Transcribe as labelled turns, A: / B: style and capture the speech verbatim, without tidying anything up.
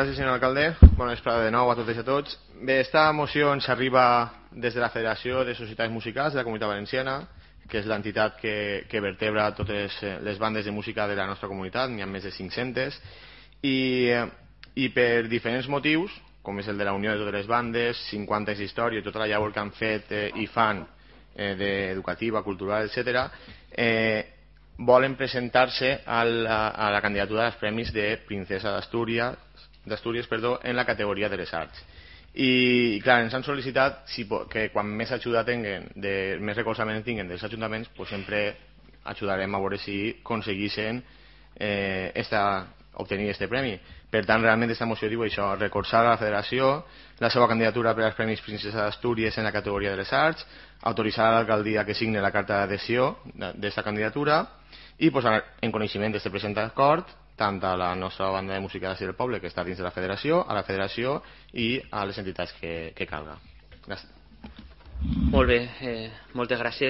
A: Gràcies, senyor alcalde. Bona vesprada de nou a totes i a tots. Bé, esta moció ens arriba des de la Federació de Societats Musicals de la Comunitat Valenciana, que és l'entitat que, que vertebra totes les bandes de música de la nostra comunitat, n'hi ha més de cinc-centes, i, i per diferents motius, com és el de la unió de totes les bandes, cinquanta anys d'història i tota la llavor que han fet eh, i fan eh, d'educativa, cultural, etcètera, eh, volen presentar-se a la, a la candidatura dels Premis de Princesa d'Astúries d'Astúries, perdó, en la categoria de les arts. I, i clar, ens han sol·licitat si, que quan més ajuda tinguen, de, més recolzament tinguen dels ajuntaments, pues sempre ajudarem a veure si aconseguissin eh, esta, obtenir este premi. Per tant, realment aquesta moció diu això, recolzar a la federació la seva candidatura per als Premis Princesa d'Astúries en la categoria de les arts, autoritzar a l'alcaldia que signe la carta d'adhesió d'esta candidatura i posar en coneixement d'aquest present acord tant a la nostra banda de música del poble, que està dins de la federació, a la federació i a les entitats que, que calga. Gràcies.
B: Molt bé, eh, moltes gràcies.